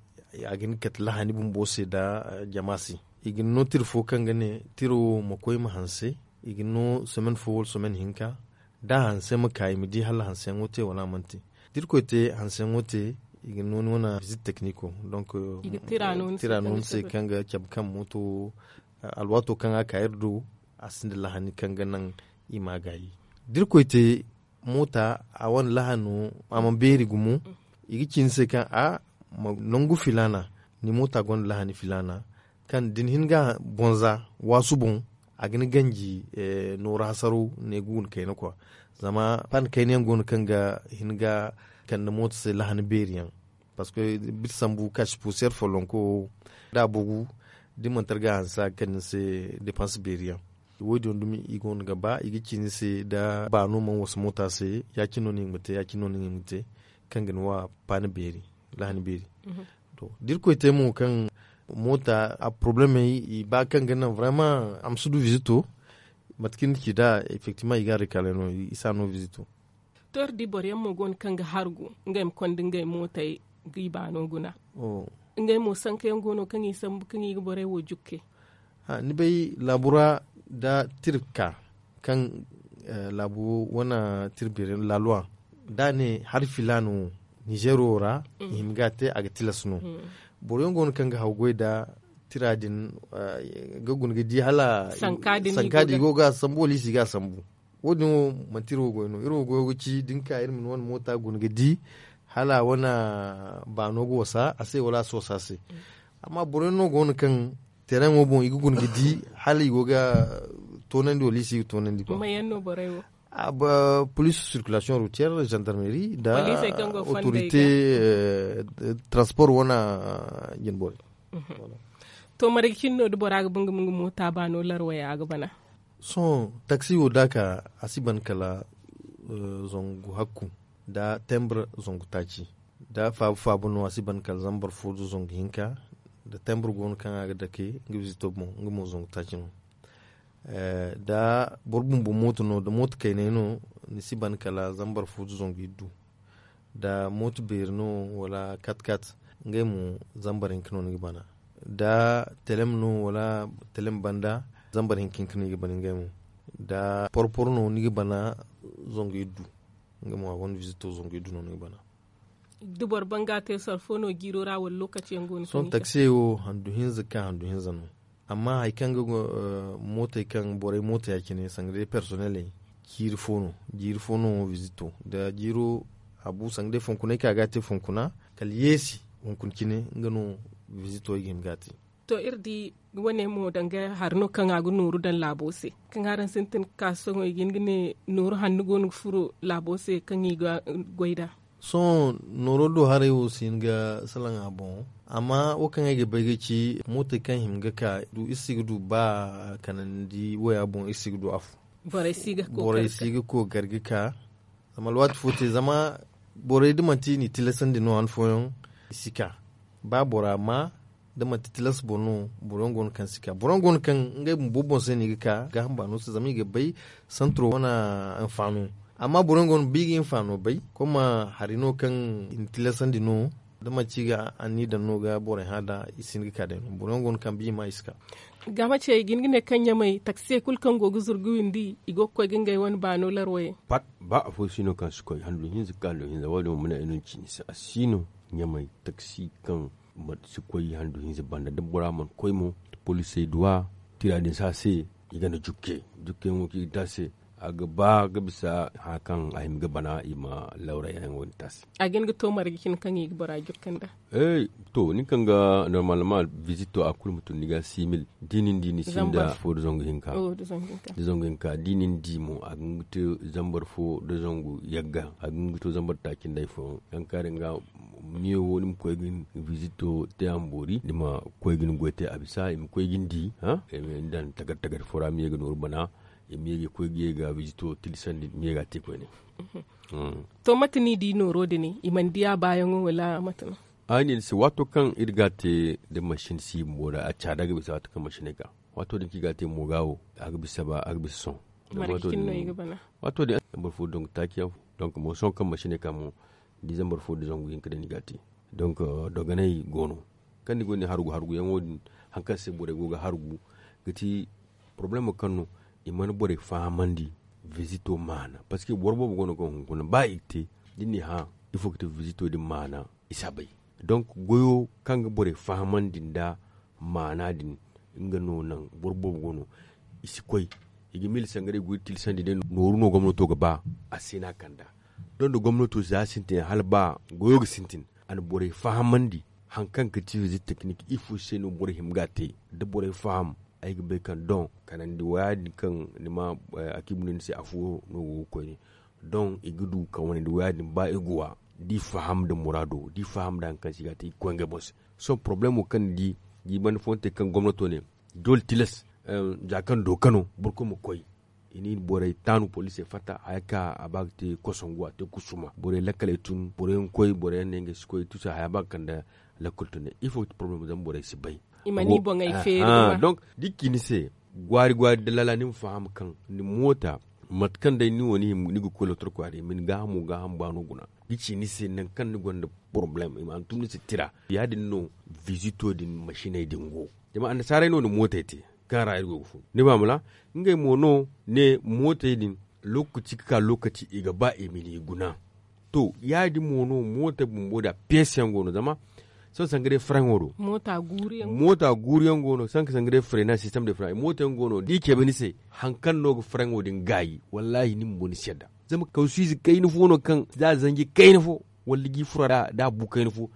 a ga hin ga kate lahani bumbo se nda jama se. I ga ni no tira fo kaŋ ga ne tira wo ma koy ma hanse. I ga ni no somen fo wala somen hinka da a hanse ma ka i ma di hala hanseyaŋo te wala a mana te. Da irkoy te hanseyaŋo te i ga ni no ni wane vizit tekniko. Donk tira no ni se kaŋ ga cabe kaŋ mooto wo alwaato kaŋ a ka iri do a sinda lahani kaŋ ga naŋ i ma a gaayi. Da irkoy te moota a wane lahano a mana beeri gumo. I ga ci ni se kaŋ a nangu filaana ni moota gonda lahani filaana kaŋ da ni hin ga bonza waasu boŋ a ga ni ganji nooru hasaro ne ga guna kayna kwa. Zama pan kayna yaŋ go no kaŋ ga hin ga kande moota se lahani beeri yaŋ. Parceque biti sambu kaasi puuseer follonko wo da a bugu Da ni mana targa hanse a ga kande ni se depanse beeri yaŋ. Wo- din dumi i go no ga ba i ga ci ni se da baano mana wasa moota se, ya- cine no ni ga hin ga te ya- cine no ni ga hin ga te, kaŋ ga ni wa paani beeri, lahani beeri. To, da irkoy te mo kaŋ moota a porobalemey i ba kaŋ ga naŋ vrayman a ma si du vizito. Mate kaŋ ni ci da efektivman i ga a rekalay no i si a no vizito. To iri di boro yaŋ mo go no kaŋ ga hargu ngey ma konda ngey mootey ga i baano guna. Ngey mo sanka yaŋ go no kaŋ i sambu kaŋ i ga borey wo jukke. Ni bay laabu ra da tira ka kaŋ laabu wane tira beeri laaluwa da a ne hari filaana wo nizeero ra i hima ga a te a ga tilas no. Boro yaŋ go no kaŋ ga haw goy nda tira din ga guna ga di hala sanka din i go ga a sambu wala i si ga a sambu. Wo- din wo manti iri wo goy no iri wo goyo ga ci da ni ka iri ma ni wane moota guna ga di hala a wane baano ga wasa a se wala a si wasa a se. Amma boro yaŋ no go no kaŋ tereŋo boŋ i ga guna ga di hala i go ga toonandi wala i si ga toonandi ba. Police circulation routière gendarmerie nda autorité transport wane jinborey. To marga cine no da bora ga ba nga ma nga moota baano larwaya a ga bana. Sohõ taksi wo da a ka a si ban kala zangu hakku nda tembre zangu taaci. Da faabu faabu no a si ban kala zambar fo nda zangu hinka. Da tembre go no kaŋ a ga dake nga bizito boŋ nga mo zangu taaci no. Da boro bumbo mooto no da mooto kaynay no ni si ban kala zambar fo nda zangu iddu. Da mooto beeri no wala kat kat ngey mo zambar hinka no ni ga bana. Da telem no wala telem banda zambar hinka hinka no i ga bana ngey mo. Da porpor no ni ga bana zangu iddu. Nga mo a gonda vizito zangu iddu no ni ga bana. Da boro ban ga a te soro fo no jiiro ra wala lokaci yaŋ go no sohõ taksiyey wo handu hinza ka handu hinza no. Amma hari kaŋ ga mootey kaŋ borey mootey ya- cine sanga day personneley jiiri fo no. Jiiri fo no vizito da jiiro a bu sanga day fonkunay kaŋ a ga a te fonkuna kala yeesi hunkuna cine nga no vizito i ga hima ga a te. To iri di wane mo danga hari no kaŋ a ga nooru daŋ laabo se kaŋ araŋ sintin ga ka sohõ i ga hin ga ne nooru hanno go no ga furo laabo se kaŋ i ga goy nd'a. Sohõ nooro do haray wo si hin ga salaŋ a boŋ. Amma wo kaŋ ay ga bay ga ci mootey kaŋ hima ga ka du iri si ga du ba kanandi waya boŋ iri si ga du afo. Borey si ga kookari ga ka. Zama alwaati fo te zama borey da manti i n'i tilasandi no han fooyaŋ i si ka. Ba bora ma da manti tilas boro no boro yaŋ go no kaŋ si ka boro yaŋ go no kaŋ ngey bumbo boŋ se no i ga ka gaaham baano se zama i ga bay santiro wane. Anfaano. Amma boro yaŋ go no ba i ga hinfaano bay koma hari no kaŋ i na tilasandi no da manti i ga anniya daŋ no ga borey hã da i si hin ga ka day no boro yaŋ go no kaŋ ba i ma i si ka. Gaama ce i ga hin ga ne kaŋ ɲamay taksiyey kulu kaŋ go ga zuru ga windi i go ga koy ga ngey wane baano larwayey. Ba afo si no kaŋ si koy handu hinza ga ka handu hinza wo- din wo mana ay no ni ci ni se a si no. Ɲamay taksi kaŋ si koy handu hinza banda da bora mana koy mo polisey duwa tira din si a se. I ganda jukke jukkeyaŋo kaŋ i ga te a se a ga ba ga bisa hã kaŋ a hima ga bana i ma lawra yaŋ wo- din te a se. A ga hin ga to marga cine kaŋ i ga bora jukka nda. To nin kaŋ ga normalement vizito a kulu ma tun ni ga simil da i na ni di ni sinda fo da zangu hinka. Da zangu hinka da i na ni di mo a ga hin ga te zambar fo da zangu yagga a ga hin ga to zambar taaci nda ay fooyaŋ kaŋ kaari nga miyo wo ni ma koy ga ni vizito te a ma boori ni ma koy ga ni goy te a bisa i ma koy ga ni di. Ni daŋ tagar tagar fo ra ma ye ga nooru bana i ma ye ga koy ga ye ga vizito tilasandi ma ye ga a te koyne. To mate no i di nooro din i mana di a baayaŋo wala mate no? Ay ne ni se waato kaŋ iri ga a te da masin si bumbo ra a caada ga bisa waato kaŋ masiney ka waato din kaŋ i ga a te mo ga wo a ga bisa ba a ga bisa sohõ. Waato din boro fo dongu taaci yaŋ donk mo sohõ kaŋ masiney ka mo da i zambar fo da zangu hinka day no i ga a te. Donk dogonay go no kaŋ ni go ni hargu hargu yaŋo din hari kaŋ se borey go ga hargu ga ti porobalemo kaŋ no i mana borey fahamandi. Vizito maana parceque boro boobo go no kaŋ hunkuna ba i ga te da ni hã ifo ga ti vizito din maana i si a bay. Donk goyo kaŋ ga borey fahamandi nda maana din nga no naŋ boro boobo go no i si koy i ga miila sangaray goy tilasandi day nooru no gomnato ga ba a se no a kand'a. Doŋ da gomnato za sintin hala ba goyo ga sintin a na borey fahamandi. Hari kaŋ ga ti vizit teknik ifo se no borey hima ga a te da borey faham ay ga bay kaŋ doŋ kanandi waya din kaŋ ni ma akiibu no ni se afo no go ga koyne. Doŋ i ga du kaŋ wane nda waya din ba i ga wa da i faham nda muraado da i faham nda hari kaŋ se i ga a te i ga koy ngey boŋ se. Sohõ porobalemo kaŋ ni di Jiibandi fooyaŋ te kaŋ gomnato ne doole tilas, za kaŋ dooka no boro kulu ma koy. I na i borey taanu poliisey fatta haya ka a ba ga te kosongu a te kusuma borey lakkaley tun boro yaŋ koy boro yaŋ ne ngey si koy tusa haya ba ga kande. Lakkol tun ne ifo ga ti poroblem zama borey si bay. I mana i boŋey feeri. Donk da i ci ni se gwaari gwaari da lala ni ma faham kaŋ ni moota mate kaŋ day ni wo ni ga koy lotor kwaari i ma ni gaahamo gaaham baano guna ga ci ni se nangu kaŋ ni gonda poroblem i ma hantum ni se tira. Ya- din no vizito din masiney din go. Zama annasaarey no na mootey te kaŋ ra iri go ga fun ni ba mala ngey mo no ne mootey din lokaci ga ka lokaci i ga ba i ma ni guna. To ya- din mo no mootey bumbo da peesi yaŋ go no zama sohõ sanga day faraŋo do moota guuru yaŋ go no sanga day faraŋo do moota yaŋ go no da i cabe ni se hari kaŋ no ga faraŋo din gaayi wallaahi ni bumbo ni si yadda. Zama kawsu ize kayna fo no kaŋ za zanji kayna fo wala da ji fura da a bu kayna fo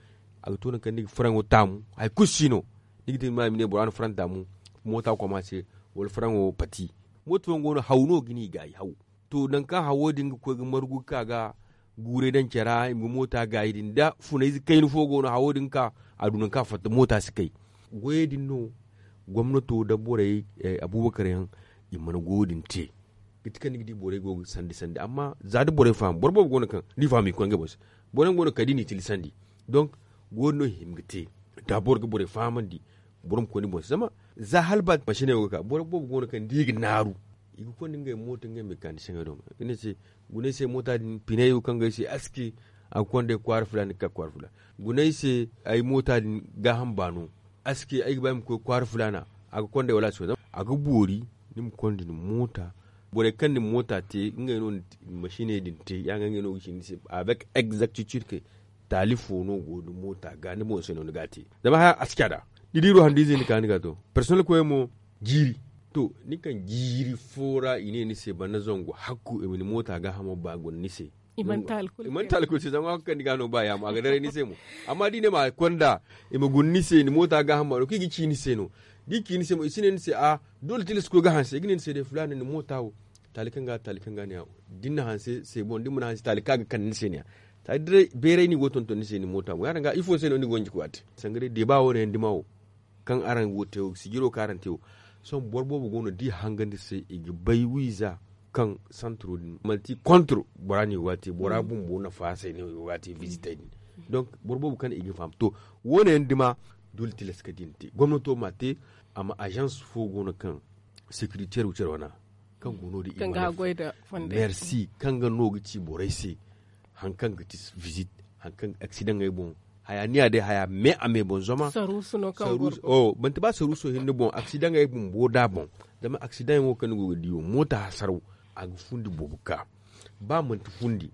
a ga to nangu kaŋ ni ga faraŋo taamu hari kulu si no. Ni ga te ni ma i ma ne bora na faraŋ taamu moota koma se wala faraŋo pati. Moota fooyaŋ go no haw no ga ni gaayi haw. To nangu kaŋ hawo din ga koy ga margu ga ka ga guuray daŋ care ra i ma ga moota gaayi din da funayze kayna fo go no hawo din ga ka a du nangu kaŋ a fatta moota si kay. Goyey din no gomnato nda borey abuubakar yaŋ i mana goyo din te. Ga ti kaŋ ni ga di borey go ga sandi sandi amma za da borey faham boro boobo go no kaŋ da i faham i ga koy ngey boŋ se. Boro yaŋ go no kaŋ da i n'i tilasandi donk goyo din no i hima ga te. Da boro ga borey fahamandi boro ma koy ni boŋ se zama za hala ba masiney wo ga ka boro boobo go no kaŋ da i ga naaru i ga konda ngey mooto ngey mekanisiyeŋey do ga ne se guna ay se moota din piney wo kaŋ ga ay se aski a ga konda ay kwaara filaana ga ka kwaara filaana guna ay se ay moota din gaaham baano aski ay ga ba ay ma koy kwaara filaana a ga konda ay wala a si koy zama a ga boori ni ma konda ni moota. Borey kaŋ na ni moota te ngey no na masiney din te ya ga ngey no ga ci ni se avec exactitude kaŋ taali fo no go ni moota ga ni boŋ se no ni ga a te. Zama haya a si caada ni di ro handu ize ni ka ni ga to personnel koyey mo jiiri. To ni kaŋ jiiri fo ra i ne ni se banda zangu hakku i ma ni moota gaahamo ba guna ni se. I mana talkul se zama hakku kaŋ ni ga no ba yaamo a ga daray ni se mo. Amma da i ne ma konda i ma guna ni se ni moota gaahamo ba no kaŋ i ga ci ni se no da i ci ni se mo i si ne ni se a doole tilas koy ga hanse i ga ne ni se day filaana ni moota wo. Taali kaŋ ga taali kaŋ ga ne a wo da ni na hanse se boŋ da ni mana hanse taali kaŋ a ga kande ni se ne a. Taali day bayray no i go ga tonton ni se ni moota mo ya- din ga ifo se no ni ga wanji koy a te sanga day deeba wo- ne yaŋ dima wo. Kaŋ araŋ go ga te wo sijiro kaŋ araŋ te wo sohõ boro boobo go no da i hangandi se i ga bay wiiza kaŋ santiro din manti kontor bora no i go ga a te bora bumbo nafa se no i go ga a te vizitey din. Donk boro boobo kaŋ i ga faham to wo- ne yaŋ dima doole tilas kaŋ da i na te gomnato ma a te. Amma azans fo go no kaŋ securitaire wo care wana kaŋ go no- din i mana merci kaŋ ga no ga ci borey se. Hari kaŋ ga ti vizit hari kaŋ aksidaŋey boŋ haya ni ya day haya me a me boŋ zama saruusu no kaŋ go ga saruusu. Manti ba saruuso hinne boŋ aksidaŋey bumbo da boŋ. Zama aksidaŋey wo kaŋ ni go ga di wo moota hasaraw a ga fundi boobo ka ba manti fundi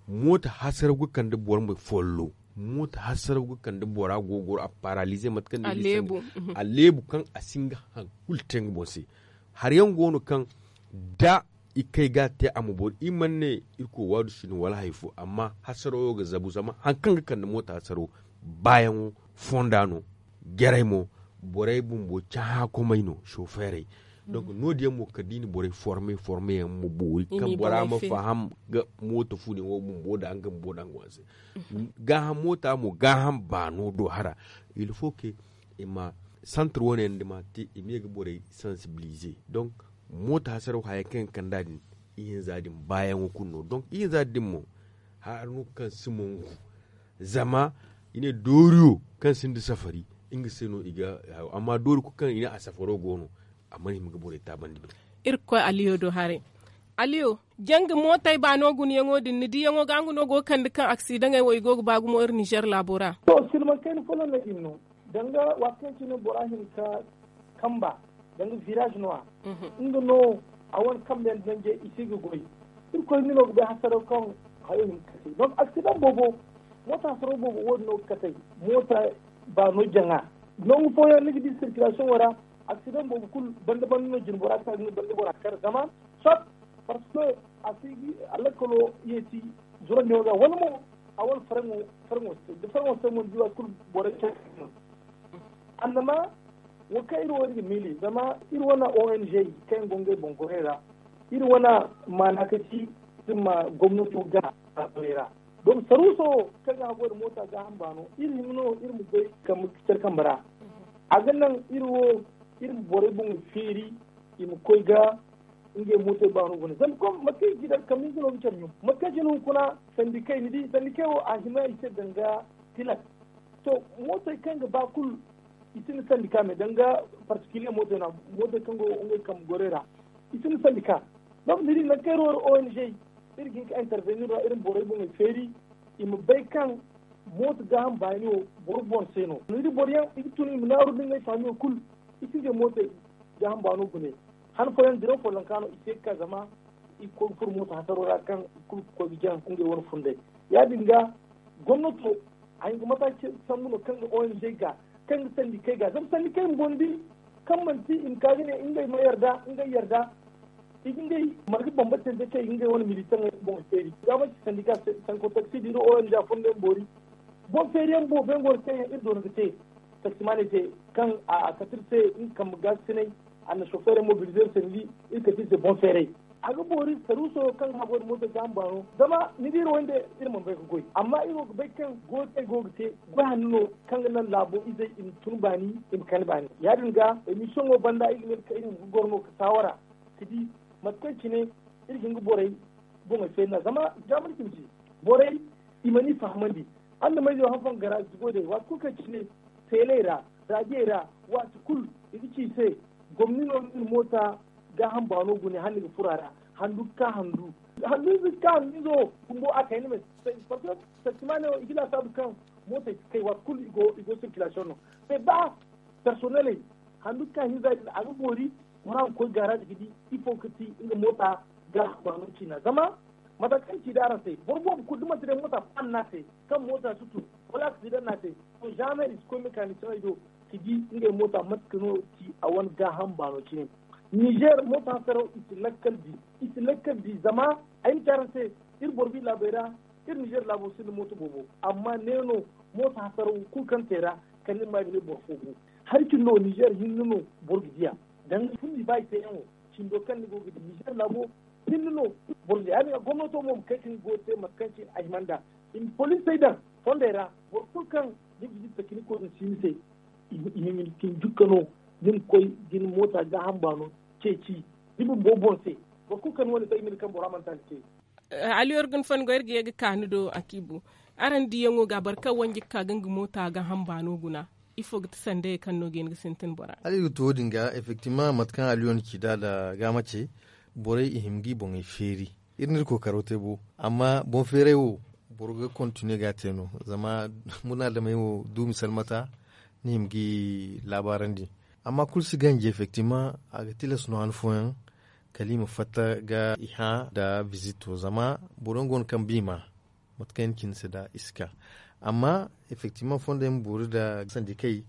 moota hasaraw ga kande boro ma follo. Moota hasaraw ga kande bora go ga goro a paralize mate kaŋ ni ga di sanda a leebu kaŋ a si nga hari kulu te nga boŋ se. Hari yaŋ go no kaŋ da i kay ga a te a ma boori i mana ne irkoy waadu si no wala hari fo amma hasaraw wo ga zabu zama hari kaŋ ga kande moota hasaraw baayaŋo fonda no. Jarey mo borey bumbo cahãkomey no sofeerey. Donk no- din yaŋ mo kala da i na borey forme forme yaŋ ma boori kaŋ bora ma faham ga mooto fu din wo bumbo nda nga bumbo nda nga wane se. Gaaham moota mo gaaham baano do hara. Il faut que i ma santre wo- ne yaŋ da ma te i ma ye ga borey sansibilize donk moota hasaraw haya kaŋ yaŋ ga kand'a din ihinza din baayaŋo kulu no donk ihinza din mo. Hara no kaŋ si mongu zama i ne dooriyo kaŋ sinda safari nga se no i ga hayo amma doori kulu kaŋ i ne a safaro go no. A mana hima ga borey taabandi. Iri ga koy aliyo do haray. Aliyo, janga mootey baano gunayaŋo din ni diyaŋo ga nga no go ga kande kaŋ aksidaŋey wo i go ga ba gumo iri nizer laabo ra. To silmaŋ kayna folloŋ no din no. Danga waati kaŋ cine bora hinka kamba danga virage no a nga no a wane kambe yaŋ danjey i si ga goy. Irkoy ni no ga bay hasaraw kaŋ hayo hima ga kate donc aksidaŋ boobo moota hasaraw boobo wo- din no ga katey. Moota baano jaŋa nangu fooyaŋ ni ga di circulation wo ra. Aksidaŋ boobo kulu banda banda no jine bora ga ka ga nga banda bora kar zama sot parce que a si ga alakkalo yeeti zurandiyaŋo ga wala mo a wane faraŋo faraŋo se da faraŋo se mo ni di waati kulu borey care. Annama wo kaŋ iri wo iri ga miili zama iri wane ong kaŋ yaŋ go ngey boŋ gorey ra iri wane maana ka ci iri ma gomnato ga a gorey ra. Donc saruuso wo kaŋ ga haggoy nda moota gaaham baano iri hima no iri ma goy kambe care kambe ra. A ga naŋ iri wo iri ma borey boŋey feeri i ma koy ga ngey mootey baano gune zama kom mate kaŋ i ci dara kambe hinza no ga care ɲum mate kaŋ cine hunkuna sandikey ni di sandikey wo a hima i se danga tilas. To, mootey kaŋ ga ba kulu i sinda sandika me danga partikiliye mootey no a mootey kaŋ go ngey kambe gorey ra i sinda sandika. Donc ni di nangu kaŋ iri wo iri ong iri ga hin ka intervenir ra iri ma borey boŋey feeri i ma bay kaŋ mooto gaaham baani wo boro boŋ se no ni di boro yaŋ i ga tun i ma naaru nda ngey faamiyo kulu i si ngey mootey gaaham baano gune. Han fooyaŋ diraw follonka no i si ye ga ka zama i ga koy ga furo mooto hasaro ra kaŋ i kulu ga koy ga jaŋ ngey wane funday. Ya- din ga gomnato a hin ga mataaci sambu no kaŋ ga ong ga kaŋ ga sandikey ga zama sandikey bumbo ni di kaŋ manti i ma ka ga ne ngey ma yarda ngey yarda i ga ngey marga bambatante kaŋ i ga ngey wane militaŋey boŋ feeri ga manti sandika sanko taksi da iri ong a fondoyaŋ boori boŋ feeriyaŋ boobo yaŋ go no kaŋ yaŋ iri doona ga te. Taksimaaney te kaŋ a kate iri se nga kambe gaasinay a na sofeerey mobilize iri se ni di iri kate iri se boŋ feerey. A ga boori saruuso kaŋ ga haggoy nda mootey gaaham baano zama ni di iri wayne iri mana bay ga goy amma iri wo ga bay kaŋ goyey kaŋ i go ga te goy hanno no kaŋ ga naŋ laabo izey i ma tun baani i ma kani baani ya- din ga. Emisiyoŋo banda iri ga ne iri ma ga goro no ga saawara ka di mate kaŋ cine iri ga hin ga borey boŋey feeri nd'a zama jaamar cine se borey i mana i fahamandi. Araŋ na mayze wo han fooyaŋ ga garaazi goy day waati kulu kaŋ cine teeley ra raadiyey ra waati kulu i ga ci i se gomni no ni na moota gaaham baano gune hala ni ga furo a ra handu ga ka handu handu ize ga ka handu ize wo bumbo a kayna me. Parce que taksimaaney wo i ga laasaabu kaŋ mootey ga kay waati kulu i go sirkilasiyoŋ no. Mais ba personeley handu ga ka hinza din a ga boori bora ma koy gaaraazi ga di ifo ga ti nga moota gaaham baano ciina zama mate kaŋ ci da araŋ se boro boobo kulu da manti day moota paani no a te kaŋ moota si tun wala aksidaŋ no a te to jamais i si koy mekanisiyeŋey do ka di ngey moota mate kaŋ no ci a wane gaaham baano cine. Nizer moota hasaraw i si lakkal di i si lakkal di zama ay ma ci araŋ se iri boro bi laabey ra iri nizer laabo sinda mooto boobo amma ne no mooto hasaraw kulu kaŋ te ra kala ni ma i ma ne boro fo bu. Hari cindi no nizer hinne no boro ga di a danga fundi ba i teeyaŋo cindo kaŋ ni go ga di nizer laabo hinne no boro ga di ya- din ga gomnato mo ma kay ka ni goyo te mate kaŋ cine a hima nd'a i ma poliisey daŋ fondey ra boro kulu kaŋ ni ga di takiniko din si ni se i hima ni cine jukka no ni ma koy ga ni moota gaaham baano ceeci ni bumbo boŋ se. Boro kulu kaŋ ni wane bay i ma ni kaŋ bora manti a ni te. Aliyor ga ni fongo iri ga ye ga ka ni do a kiibu araŋ diyaŋo ga boro kaŋ wanji ga ka ga nga moota gaaham baano guna ifo ga ti sandayey kaŋ no ga hin ga sintin bora? Hala iri ga to wo- din ga effectivement mate kaŋ aliyor na ci nd'a nda gaama ce borey i hima ga i boŋey feeri iri na iri kookaro te bo amma boŋ feeray wo boro ga kontiniye ga a te no zama munaadamey wo du misal mata ni hima ga i laabaarandi. Amma kulu si ganji effectivement a ga tilas no han fooyaŋ kala i ma fatta ga i hã nda visito zama boro yaŋ go no kaŋ ba i ma mate kaŋ i na ci ni se nda i si ka. Amma effectivement fondo yaŋ ma boori nda sandikey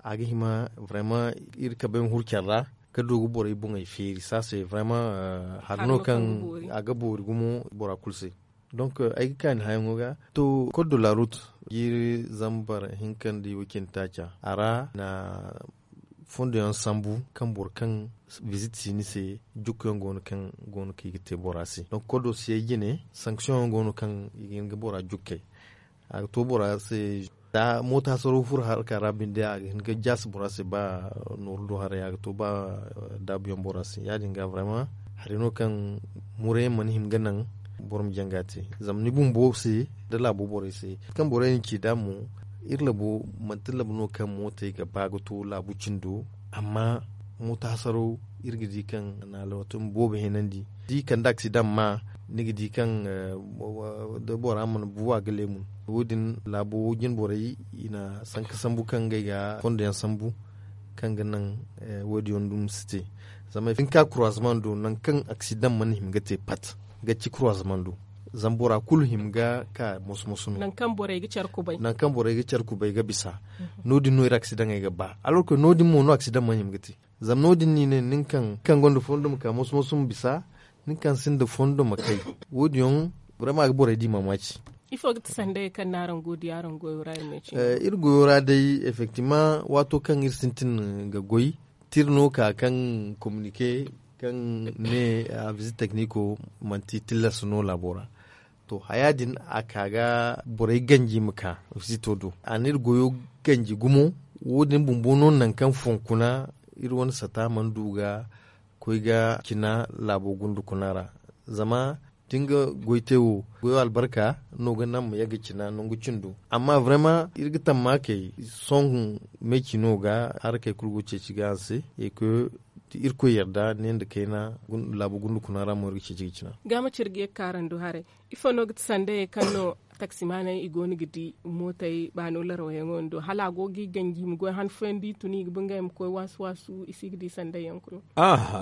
a ga hima vraiment iri kabay ma huru care ra ka du ga borey boŋey feeri saase vraiment hari no kaŋ a ga boori gumo bora kulu se. Donc ay ga ka ni hayaŋo ga to code de la route jiiri zambar hinka nda i wacin taaca a ra na fondo yaŋ sambu kaŋ boro kaŋ visit si ni se jukku yaŋ go no kaŋ go no kaŋ i ga te bora se donc kodo si ay jine sanction yaŋ go no kaŋ i ga hin ga bora jukkey. A ga to bora se da mooto hasaro furo haraka ra binde a ga hin ga jaasi bora se ba nooru do haray a ga to ba daabu yaŋ bora se ya- din ga vraiment hari no kaŋ muray yaŋ mana hin ga naŋ boro ma jaŋ ga te zama ni bumbo se da laabo borey se kaŋ borey na ci da mo iri labo manti labo no kaŋ mootey ga ba ga to laabu cindo amma mooto hasaro iri ga di kaŋ na alwatun boobo heenandi da i kande aksidaŋ ma ni ga di kaŋ da bora mana bu a ga leemun wo- din laabo jine borey i na sanka sambu kaŋ ngey ga fondo yaŋ sambu kaŋ ga naŋ wo- din yaŋ dumi si te zama i hin ka kuraazama do nangu kaŋ aksidaŋ mana hima ga te pat ga ci kuraazama do zama bora kulu hima ga ka moso-moso no nangu kaŋ borey ga care kubay ga bisa no- din no iri aksidaŋey ga ba alor kaŋ no- din mo no aksidaŋ mana hima ga te zama no- din no i ne nin kaŋ gonda fondo ma ka moso-moso ma bisa nin kaŋ sinda fondo ma kay wo- din yaŋ burema ga borey di maamaaci ifo ga ti sandayey kaŋ no araŋ go ga di araŋ goyo ra iri ma ye cine iri goyo ra day effectivement waato kaŋ iri sintin ga goy tira no ka kaŋ communique kaŋ ne a visite technico manti tillas no laabo ra to haya din a ka ga borey ganji ma ka visito do a na iri goyo ganji gumo Wo- din bumbo no nangu kaŋ fonkuna iri wane sata mana du ga koy ga cina laabo gundu kuna ra. Zama da ni ga goy te wo goyo albarka no ga naŋ ma yagga cina nangu cindo. Amma vraiment iri ga tamma kay sohõ me cino ga harakey kulu go ceeci ga hanse. Iri koy yarda ne nda kayna laabo gundu kuna ra mo iri ga ceeci ga cina. Ga ma ci iri ga ye ga kaarando haray. Ifo no ga ti sandayey kaŋ no taksimaaney i go no ga di mootey baano larawayaŋo din do hala a go ga i ganji i ma goy han fooyaŋ da i tun i ga ba ngey ma koy waasu waasu i si ga di sandayyaŋ kulu?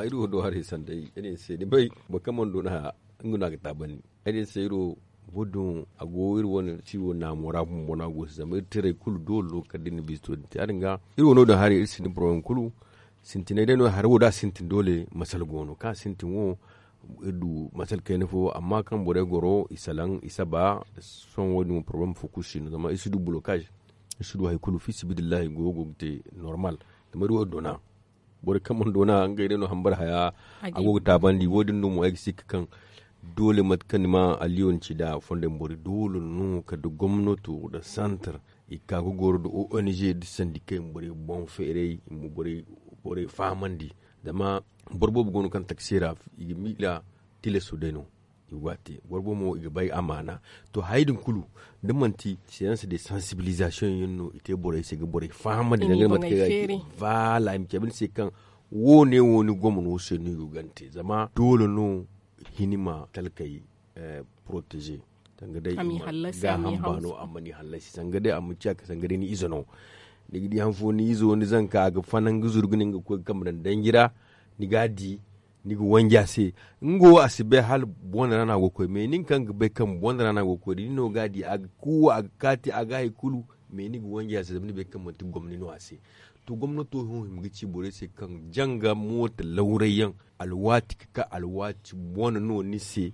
Iri wo do haray sanday iri se ni bay boro kaŋ mana doona haya nga no a ga taabandi. Ay din se iri wo boro din a go iri wane ciwo naamo ra bumbo no a go se zama iri tirey kulu doole no kala da iri na biisto din te ya- din ga iri wo no- din haray iri sinda boro yaŋ kulu. Sintinay day no hari wo da a sintin doole masala go no kaŋ a sintin wo iri du masala kayna fo amma kaŋ borey goro i salaŋ i saba. Sohõ wo- din wo porobalem fo kulu si no zama iri si du bulokaz. Iri si du hari kulu fi sibidillahi goyo go ga te normal. Zama iri wo doona borey kaŋ mana doona ngey day no hambara haya a go ga taabandi wo- din no mo ay ga sikka kaŋ doole mate kaŋ ni ma alliyo ni ci nda fondey borey doole no kala da gomnato nda santar i ga ka ga goro nda ong nda sandikey i ma borey boŋ feeray i ma borey fahamandi. Zama boro boobo go no kaŋ taksi ra i ga miila tilaso day no. I ga te boro boobo mo i ga bay amaana. To hayey din kulu da manti seanse de sansibilisation yaŋ no i te borey se ga borey fahamandi dangane mate kaŋ i ga te. Voilà i ma cabe ni se kaŋ wo- ne wo ni gomno se no i go ga ni te zama doole no hini ma talkey protege. Sanga day a ma ni hallasi sanga day a ma ciya ka sanga day ni ize no. Ni ga di han fo ni izo ni zanka a ga fanan ga zuru ga ne nga ga koy ga kambe daŋ danji ra. Ni ga a di ni ga wanji a se. Nga wo a si bay hala boŋ ra no a go ga koy mais nin kaŋ ga bay kaŋ boŋ ra no a go ga koy da ni no ga a di a ga kuuwa a ga kaati a ga hari kulu. Mais ni ga wanji a se zama ni bay kaŋ manti gomni no a se. To gomnato hõ hima ga ci borey se kaŋ janga mooto lawray yaŋ alwaati ga ka alwaati boŋ no ni se.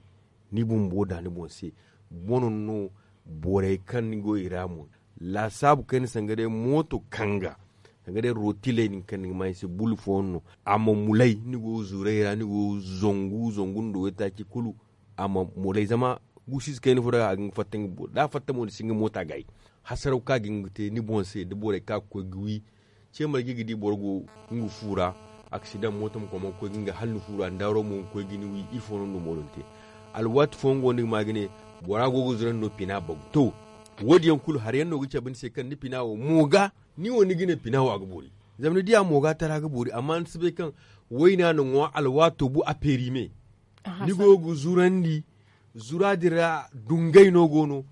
Ni bumbo da ni boŋ se boŋ no. Borey kaŋ ni go i ra mo laasaabu kayna sanga day mooto kanga sanga day rotiley din kaŋ ni ga ma i se bulu fooyaŋ no. A ma mulay ni go zuray ra ni go zangu zangu nda waytaaci kulu. A ma mulay zama guusu ize kayna fo day a ga nga fatta nga boori da a fatta mo ni si nga moota gaayi. Hasaraw kaŋ a ga hin ga te ni boŋ se da borey kaŋ a ga koy ga wi. Ce marje ga di boro go nga fu ra aksidaŋ mooto ma koy ma koy ga nga hala ni fu ra ndaaro mo ga koy ga ni wi ifo no ni na mo din te. Alwaati fooyaŋ go no ni ga ma ga ne bora go ga zurandi no pina bagu to. Wo- din yaŋ kulu hari yaŋ no ga cabe ni se kaŋ ni pina wo mo ga ni wo ni ga ne pina wo a ga boori. Zama ni di a mo ga tara ga boori amma ni si bay kaŋ wayna na ŋwa alwaato bu a peeri me. Ni go ga zurandi zura din ra dungay no go no.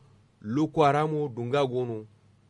Lookwaara mo dunga go no.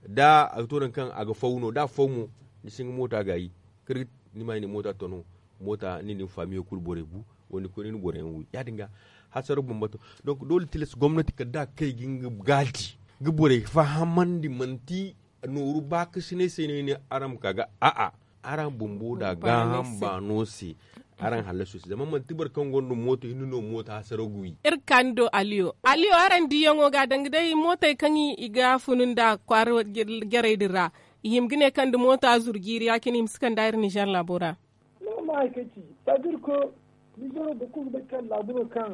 Da a ga to nangu kaŋ a ga faw no da a faw mo ni si nga moota gaayi. Kala ga ni ma ay ne moota to no moota ni na ni faamiyo kulu borey bu wala ni koy ni na boro yaŋ wi ya- din ga. Hasaraw bambata donk doole tilas gomnati kala da a ga kay ga nga gaadi ga borey fahamandi manti nooru baakasinay se no ay ne araŋ ma ka ga a'a araŋ bumbo da gaaham baano se. Araŋ hallaso se zama manti boro kaŋ gonda mooto hinne no mooto hasaraw ga wi. Iri ga ka ni do aliyo aliyo araŋ diyaŋo ga danga day mootey kaŋ i ga funu nda kwaara jarey din ra i hima ga ne kaŋ da mooto a zuru jiiri ya- cine i ma si kand'a iri nizer laabo ra. Ni ma ma hari kaŋ ci sadir ko nizer wo boro kulu ga bay kaŋ laabo no kaŋ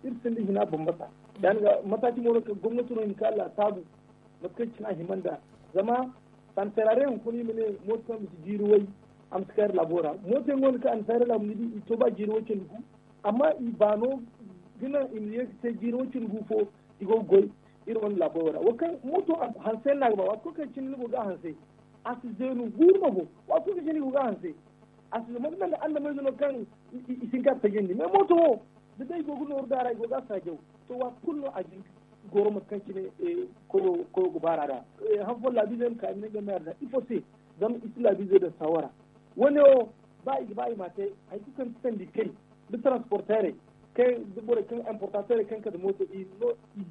iri sinda hina bambata. Ya- din ga mataaci mo no kaŋ gomnato no hima ka laasaabu mate kaŋ cine a hima nd'a. Zama santarare hunkuna i ma ne mooto kaŋ ma si jiiri way a ma si kayra laabo ra. Mooto yaŋ go no kaŋ a na sayra laabo ni di i to ba jiiri way cindi gu. Amma i baano ga naŋ i ma ye ga te jiiri way cindi gu fo i go ga goy. Iri wane laabo wo ra wo kaŋ mooto hanse yaŋ no a ga ba waati kulu kaŋ cine ni go ga a hanse. A si zeenu guuru no bo. Waati kulu kaŋ cine i go ga a hanse a si zama ni naŋ ga annamayze no kaŋ i si hin ka a tajandi mais mooto wo da day i go ga nooru da a ra i go ga a saajaw. To waati kulu no a ga hin ga goro mate kaŋ cine koyo ga baar'a ra. Han fooyaŋ laabiizey ma ka i ma ne ngey ma yaadin ra ifo se? Zama i si laabiizey daŋ saawara. Wo- ne wo ba i ga ba i m'a te hari kulu kaŋ ga ti sandikey nda taransporteerey kaŋ nda borey kaŋ importateerey kaŋ ga kate mooto i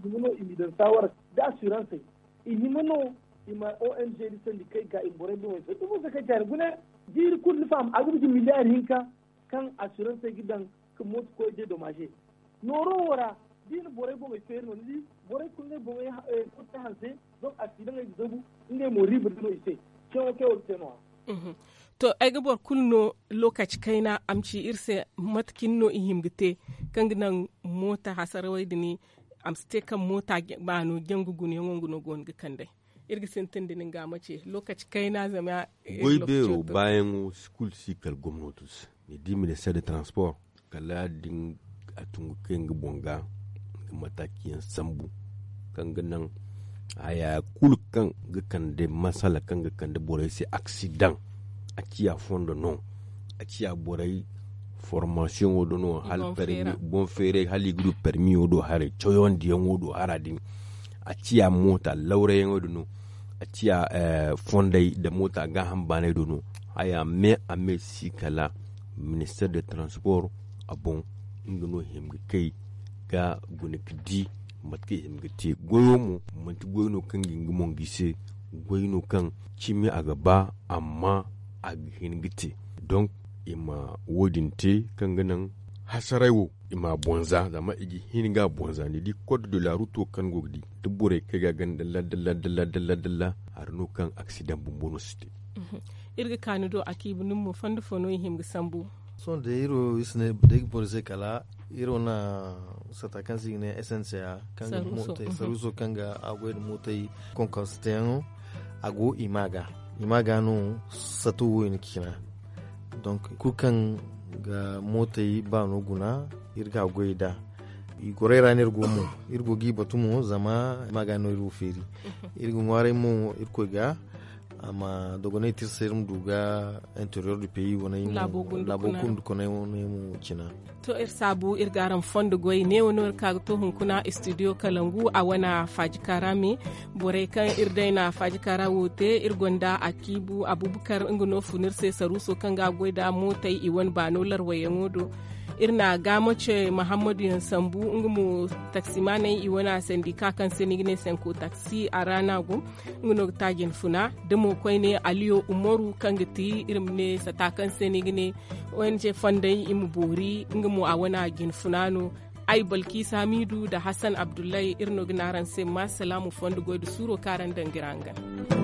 hima no i m'i daŋ saawara nda asiransey. I hima no i ma ong nda sandikey ga i ma borey boŋey feeri ifo se kaŋ caari gune jiiri kulu ni faham a ga bisa miliyaari hinka. Kaŋ asiransey ga daŋ ka mooto koy dedomaaze nooro wo ra da i na borey boŋey feeri no ni di. Borey kulu ngey boŋey koy te hanse. Donk a si daŋ ay ga zabu ngey mo riiba da no i se. Ceewo kay wo ga te no- ya. To ay ga boro kulu no lookaci kayna a ma ci iri se mate cine no i hima ga te kaŋ ga naŋ moota hasarawey din a ma si te kaŋ moota baano jangu gunayaŋo nga no go no ga kand'ey. Iri ga sintin da nin ga mace lokaci kayna zama goy beero baayaŋo kulu si kala gomno tun se. Ni di minister de transport kala din a tungu kay nga boŋ ga nga mataakiyaŋ sambu kaŋ ga naŋ haya kulu kaŋ ga kande masala kaŋ ga kande borey se aksidaŋ. A ciya fondo no a ciya borey formasiyoŋo do no. Boŋ feeray hala i ga du permiyo do haray cawandiyaŋo do hara din. A ciya moota lawrayaŋo do no. A ciya fondey nda moota gaaham baanay do no. Haya me a me si kala minister de transport a boŋ nga no i hima ga kay ga guna ga di mate kaŋ i hima ga te goyo mo. Manti goy no kaŋ ga nga mongi se goy no kaŋ cimi a ga ba amma a ga hin ga te. Donk i ma wo- din te kaŋ ga naŋ hasaray wo i ma a bonza zama i ga hin ga a bonza ni di code de la ruto kaŋ go ga di da borey kay ga ganda ladda ladda ladda hari no kaŋ aksidaŋ bumbo no si te. Iri ga kaani do a kiibu nin mo fondo fo no i hima ga sambu. Sohõ day iri wo iri si ne day ga boro se kala iri wo na sata kaŋ se i ga ne snca kaŋ ga mootey saruuso kaŋ ga a goy nda mootey konkonse teyaŋo. A go i ma ga i ma ga no sato wo i na cina. Donk kulu kaŋ ga mootey baano guna iri ga a goy nd'a. I gorey ra no iri go mo iri go ga i batu mo zama i ma ga no iri wo feeri. Iri ga ŋwaaray mo irkoy ga a ma dogonay te iri se iri ma du ga interior du pays wane laabo kundukoney wane mo cina. To iri saabu iri ga araŋ fondo goy neewo no iri ka ga to hunkuna studio kalangu a wane faajika ra me. Borey kaŋ iri day na faajika ra wo te iri gonda a kiibu abubakar nga no fun iri se saruuso kaŋ ga a goy nda mootey i wane baano larwayaŋo do. Iri na gaamace mahammadu yaŋ sambu nga mo taksimaaney i wane sandika kaŋ se ni ga ne senko taksi a ra no a go. Nga no ga ta jinfuna da mo koyne aliyo umaru kaŋ ga ti iri ma ne sata kaŋ se ni ga ne ong fondey i ma boori nga mo a wane jinfuna no. Ay balkisa hamidu nda hassan abdullahi iri no ga ne araŋ se ma salaamu fondo goy nda suuro kaŋ araŋ daŋ ga iri hangan.